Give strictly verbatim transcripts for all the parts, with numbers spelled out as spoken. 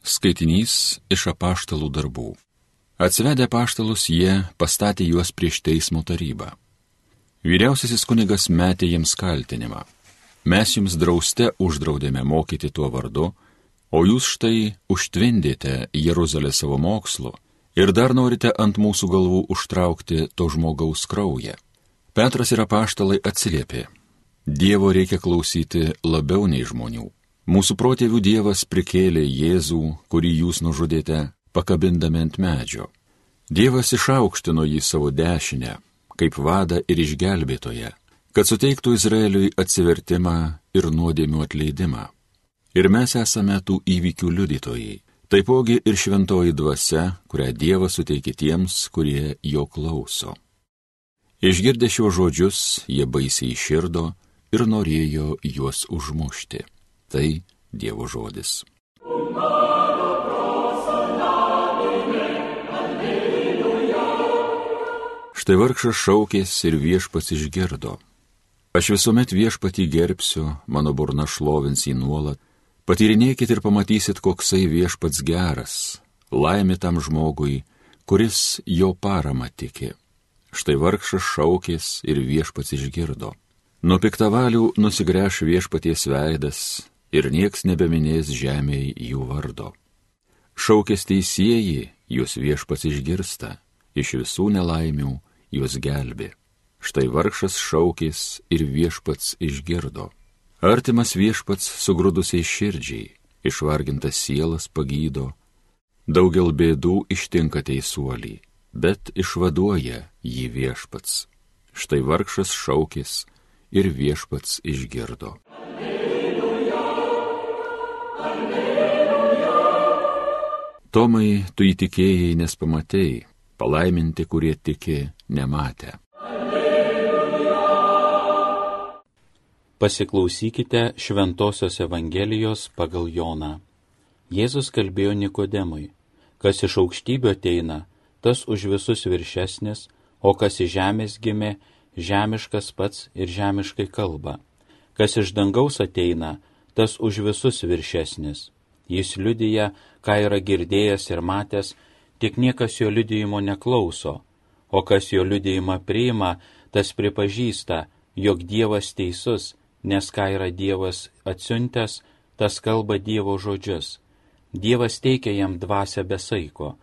Skaitinys iš apaštalų darbų. Atsivedę apaštalus, jie pastatė juos prieš teismo tarybą. Vyriausiasis kunigas metė jiems kaltinimą. Mes jums drauste uždraudėme mokyti tuo vardu, o jūs štai užtvindėte Jeruzalę savo mokslu ir dar norite ant mūsų galvų užtraukti to žmogaus kraują. Petras ir apaštalai atsiliepė: Dievo reikia klausyti labiau nei žmonių. Mūsų protėvių Dievas prikėlė Jėzų, kurį jūs nužudėte, pakabindami ant medžio. Dievas išaukštino jį savo dešinę, kaip vadą ir išgelbėtoją, kad suteiktų Izraeliui atsivertimą ir nuodėmių atleidimą. Ir mes esame tų įvykių liudytojai, taipogi ir šventoji dvasia, kurią Dievas suteikė tiems, kurie jo klauso. Išgirdę šiuos žodžius, jie baisiai širdo ir norėjo juos užmušti. Tai Dievo žodis. Štai vargšas šaukės ir viešpats išgirdo. Aš visuomet viešpatį gerbsiu, mano burna šlovins jį nuolat. Patyrinėkit ir pamatysit, koksai viešpats geras. Laimė tam žmogui, kuris jo paramą tiki. Štai vargšas šaukės ir viešpats išgirdo. Nuo piktavalių nusigręš viešpaties veidas ir nieks nebeminės žemėje jų vardo. Šaukės teisieji, jūs viešpats išgirsta, iš visų nelaimių jūs gelbė. Štai vargšas šaukės ir viešpats išgirdo. Artimas viešpats sugrudusiai širdžiai, išvargintas sielas pagydo. Daugel bėdų ištinka teisuolį, bet išvaduoja jį viešpats. Štai vargšas šaukės ir viešpats išgirdo. Tomai, tu įtikėjai, nes pamatei, palaiminti, kurie tiki, nematę. Pasiklausykite Šventosios Evangelijos pagal Joną. Jėzus kalbėjo Nikodemui: kas iš aukštybių ateina, tas už visus viršesnis, o kas iš žemės gimė, žemiškas pats ir žemiškai kalba. Kas iš dangaus ateina, tas už visus viršesnis. Jis liudija, ką yra girdėjęs ir matęs, tik niekas jo liudijimo neklauso, o kas jo liudijimą priima, tas pripažįsta, jog Dievas teisus, nes ką yra Dievas atsiuntęs, tas kalba Dievo žodžius. Dievas teikia jam dvasią be saiko,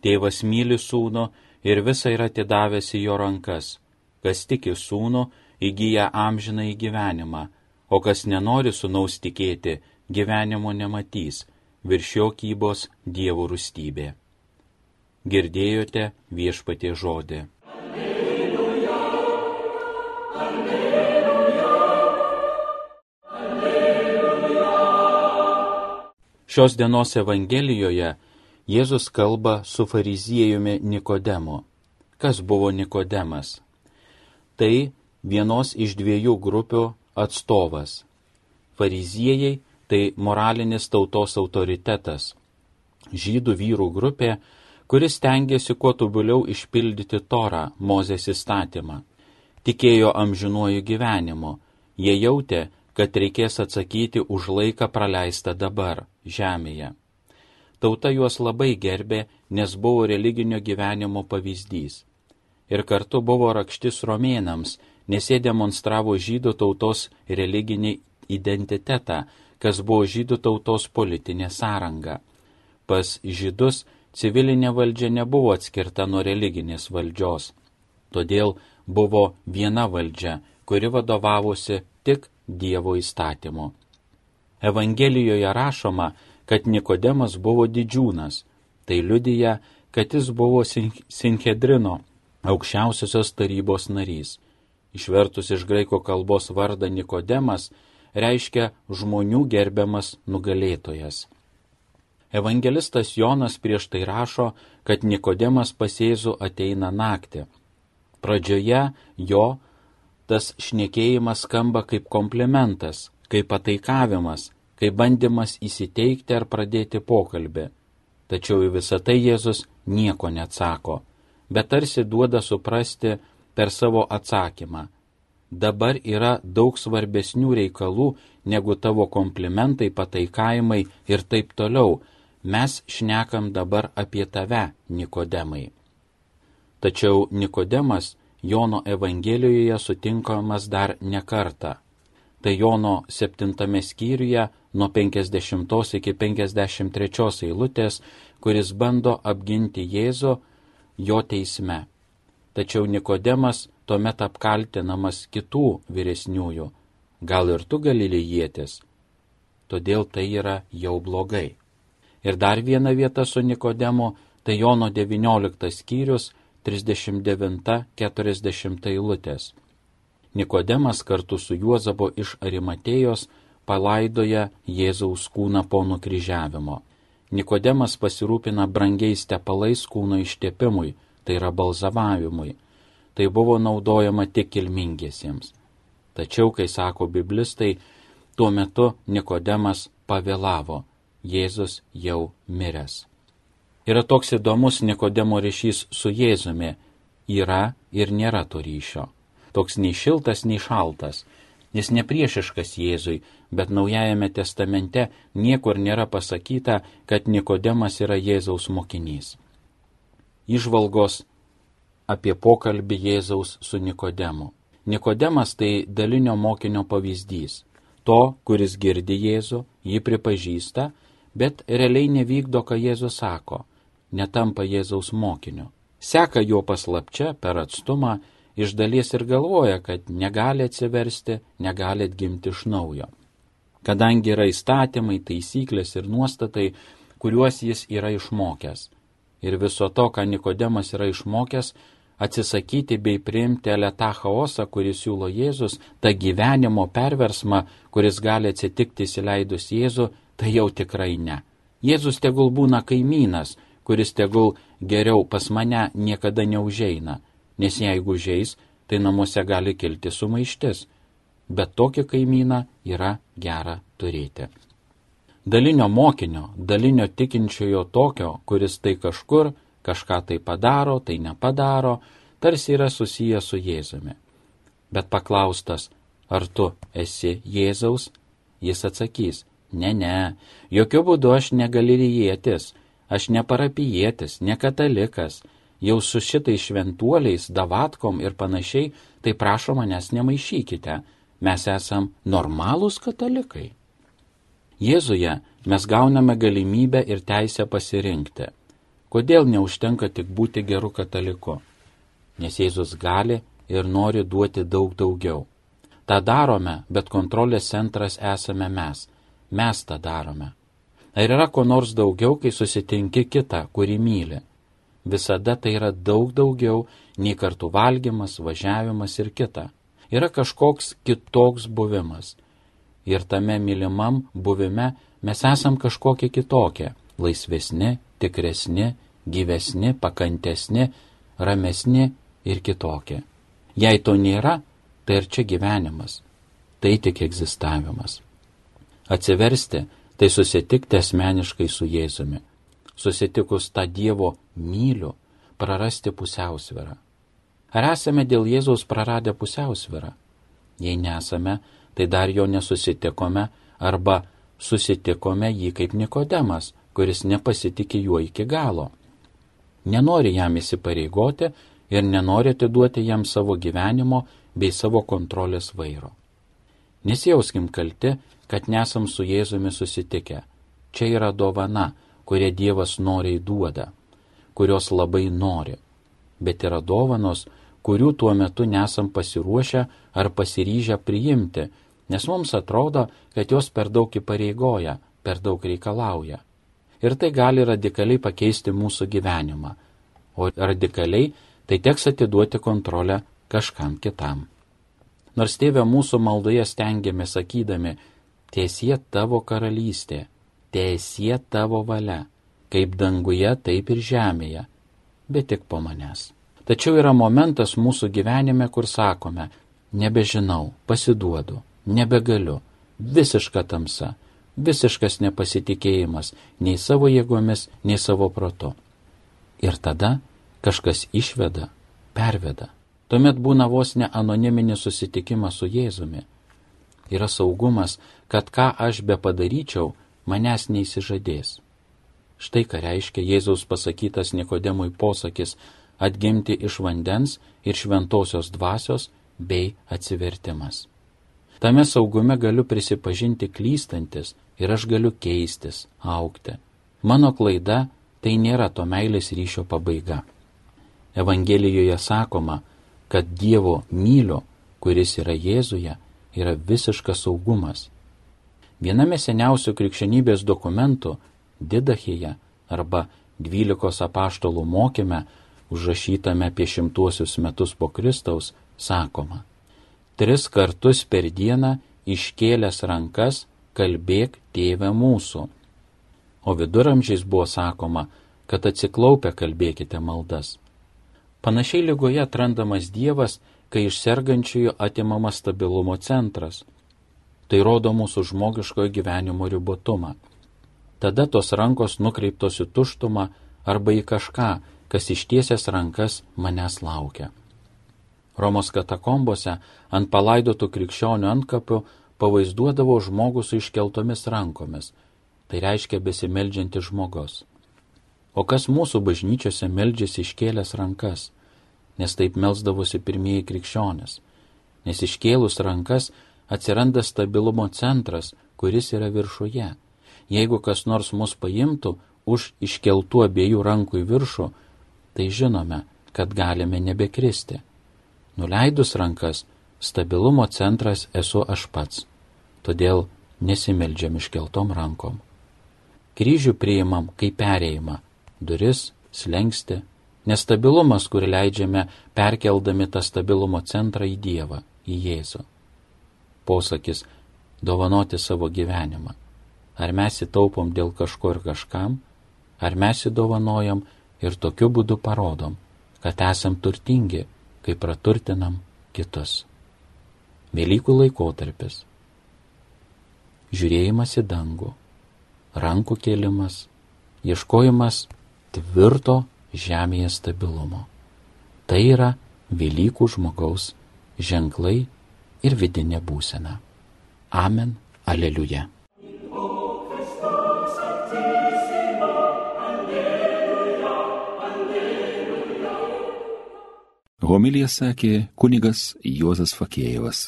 tėvas myli sūnų ir visą yra atidavęs į jo rankas. Kas tiki sūnų, įgyja amžinąjį gyvenimą, o kas nenori sūnaus tikėti, gyvenimo nematys, virš jo kybos Dievo rūstybė. Girdėjote viešpaties žodį. Alleluja, alleluja, alleluja. Šios dienos Evangelijoje Jėzus kalba su fariziejumi Nikodemu. Kas buvo Nikodemas? Tai vienos iš dviejų grupių atstovas. Fariziejai tai moralinis tautos autoritetas, žydų vyrų grupė, kuris stengiasi kuo tobuliau išpildyti Torą, Mozės įstatymą. Tikėjo amžinuoju gyvenimu, jie jautė, kad reikės atsakyti už laiką praleistą dabar, žemėje. Tauta juos labai gerbė, nes buvo religinio gyvenimo pavyzdys. Ir kartu buvo rakštis romėnams, nes jie demonstravo žydų tautos religinį identitetą, kas buvo žydų tautos politinė sąranga. Pas žydus civilinė valdžia nebuvo atskirta nuo religinės valdžios, todėl buvo viena valdžia, kuri vadovavosi tik Dievo įstatymu. Evangelijoje rašoma, kad Nikodemas buvo didžiūnas, tai liudija, kad jis buvo Sinhedrino, aukščiausiosios tarybos narys. Išvertus iš graikų kalbos vardą Nikodemas reiškia žmonių gerbiamas nugalėtojas. Evangelistas Jonas prieš tai rašo, kad Nikodemas pas Jėzų ateina naktį. Pradžioje jo tas šnekėjimas skamba kaip komplimentas, kaip pataikavimas, kaip bandymas įsiteikti ar pradėti pokalbį. Tačiau į visą tai Jėzus nieko neatsako, bet tarsi duoda suprasti per savo atsakymą: dabar yra daug svarbesnių reikalų negu tavo komplimentai, pataikavimai ir taip toliau. Mes šnekam dabar apie tave, Nikodemai. Tačiau Nikodemas Jono Evangelijoje sutinkamas dar ne kartą. Tai Jono septintame skyriuje nuo penkiasdešimtos iki penkiasdešimt trečios eilutės, kuris bando apginti Jėzų jo teisme. Tačiau Nikodemas tuomet apkaltinamas kitų vyresniųjų. Gal ir tu Galilėjietis? Todėl tai yra jau blogai. Ir dar viena vieta su Nikodemu, tai Jono devynioliktas skyrius, trisdešimt devinta keturiasdešimta eilutės. Nikodemas kartu su Juozabu iš Arimatėjos palaidoja Jėzaus kūną po nukryžiavimo. Nikodemas pasirūpina brangiais tepalais kūno ištepimui, tai yra balzamavimui. Tai buvo naudojama tik kilmingiesiems. Tačiau, kai sako biblistai, tuo metu Nikodemas pavėlavo, Jėzus jau miręs. Yra toks įdomus Nikodemo ryšys su Jėzumi. Yra ir nėra to ryšio. Toks nei šiltas, nei šaltas. Jis nepriešiškas Jėzui, bet Naujajame testamente niekur nėra pasakyta, kad Nikodemas yra Jėzaus mokinys. Įžvalgos apie pokalbį Jėzaus su Nikodemu. Nikodemas tai dalinio mokinio pavyzdys. To, kuris girdi Jėzų, jį pripažįsta, bet realiai nevykdo, ką Jėzus sako, netampa Jėzaus mokiniu. Seka jo paslapčia per atstumą, iš dalies ir galvoja, kad negali atsiversti, negali atgimti iš naujo. Kadangi yra įstatymai, taisyklės ir nuostatai, kuriuos jis yra išmokęs. Ir viso to, ką Nikodemas yra išmokęs, atsisakyti bei priimti eletą chaosą, kuris siūlo Jėzus, tą gyvenimo perversmą, kuris gali atsitikti įsileidus Jėzų, tai jau tikrai ne. Jėzus tegul būna kaimynas, kuris tegul geriau pas mane niekada neužeina, nes jeigu užeis, tai namuose gali kilti sumaištis, bet tokį kaimyną yra gera turėti. Dalinio mokinio, dalinio tikinčiojo tokio, kuris tai kažkur, kažką tai padaro, tai nepadaro, tarsi yra susijęs su Jėzumi. Bet paklaustas, ar tu esi Jėzaus, jis atsakys, ne, ne, jokių būdų aš ne Galilėjietis, aš ne parapijietis, ne katalikas, jau su šitais šventuoliais, davatkom ir panašiai, tai prašo manęs nemaišykite, mes esam normalūs katalikai. Jėzuje mes gauname galimybę ir teisę pasirinkti. Kodėl neužtenka tik būti geru kataliku? Nes Jėzus gali ir nori duoti daug daugiau. Ta darome, bet kontrolės centras esame mes. Mes tą darome. Ar yra ko nors daugiau, kai susitinki kitą, kurį myli? Visada tai yra daug daugiau nei kartu valgymas, važiavimas ir kita. Yra kažkoks kitoks buvimas. Ir tame mylimam buvime mes esam kažkokie kitokie. Laisvesni, tikresni, gyvesni, pakantesni, ramesni ir kitokie. Jei to nėra, tai ir čia gyvenimas. Tai tik egzistavimas. Atsiversti, tai susitikti asmeniškai su Jėzumi. Susitikus tą Dievo myliu, prarasti pusiausvyrą. Ar esame dėl Jėzaus praradę pusiausvyrą? Jei nesame, tai dar jo nesusitikome arba susitikome jį kaip Nikodemas, kuris nepasitikė juo iki galo. Nenori jam įsipareigoti ir nenori atiduoti jam savo gyvenimo bei savo kontrolės vairo. Nesijauskim kalti, kad nesam su Jėzumi susitikę. Čia yra dovana, kurią Dievas noriai duoda, kurios labai nori. Bet yra dovanos, kurių tuo metu nesam pasiruošę ar pasiryžę priimti, nes mums atrodo, kad jos per daug įpareigoja, per daug reikalauja. Ir tai gali radikaliai pakeisti mūsų gyvenimą. O radikaliai tai teks atiduoti kontrolę kažkam kitam. Nors Tėve mūsų maldoje stengiamės sakydami, tiesie tavo karalystė, tiesie tavo valia, kaip danguje, taip ir žemėje, bet tik po manęs. Tačiau yra momentas mūsų gyvenime, kur sakome, nebežinau, pasiduodu, nebegaliu, visiška tamsa, visiškas nepasitikėjimas nei savo jėgomis, nei savo protu. Ir tada kažkas išveda, perveda. Tuomet būna vos ne anoniminis susitikimas su Jėzumi. Yra saugumas, kad ką aš be padaryčiau, manęs neįsižadės. Štai ką reiškia Jėzaus pasakytas Nikodemui posakis atgimti iš vandens ir šventosios dvasios bei atsivertimas. Tame saugume galiu prisipažinti klystantis ir aš galiu keistis, augti. Mano klaida tai nėra to meilės ryšio pabaiga. Evangelijoje sakoma, kad Dievo myliu, kuris yra Jėzuje, yra visiškas saugumas. Viename seniausių krikščionybės dokumentų, Didachėje arba dvylikos apaštalų mokyme, užrašytame apie šimtuosius metus po Kristaus, sakoma: tris kartus per dieną iškėlęs rankas kalbėk Tėve mūsų. O viduramžiais buvo sakoma, kad atsiklaupę kalbėkite maldas. Panašiai ligoje atrandamas Dievas, kai iš sergančiųjų atimamas stabilumo centras. Tai rodo mūsų žmogiškojo gyvenimo ribotumą. Tada tos rankos nukreiptos į tuštumą arba į kažką, kas ištiesęs rankas manęs laukia. Romos katakombose ant palaidotų krikščionių antkapių pavaizduodavo žmogų su iškeltomis rankomis, tai reiškia besimeldžiantis žmogus. O kas mūsų bažnyčiose meldžiasi iškėlęs rankas, nes taip melsdavosi pirmieji krikščionys, nes iškėlus rankas atsiranda stabilumo centras, kuris yra viršuje. Jeigu kas nors mus paimtų už iškeltų abiejų rankų į viršų, tai žinome, kad galime nebekristi. Nuleidus rankas, stabilumo centras esu aš pats, todėl nesimeldžiam iškeltom rankom. Kryžių priimam kaip perėjimą, duris, slengsti, nestabilumas, kur leidžiame perkeldami tą stabilumo centrą į Dievą, į Jėzų. Posakis dovanoti savo gyvenimą. Ar mes įtaupom dėl kažko ir kažkam, ar mes įdovanojam ir tokiu būdu parodom, kad esam turtingi, kai praturtinam kitus. Velykų laikotarpis. Žiūrėjimas į dangų, rankų kėlimas, ieškojimas tvirto žemėje stabilumo. Tai yra Velykų žmogaus ženklai ir vidinė būsena. Amen. Aleliuja. Homiliją sakė kunigas Juozas Fakėjevas.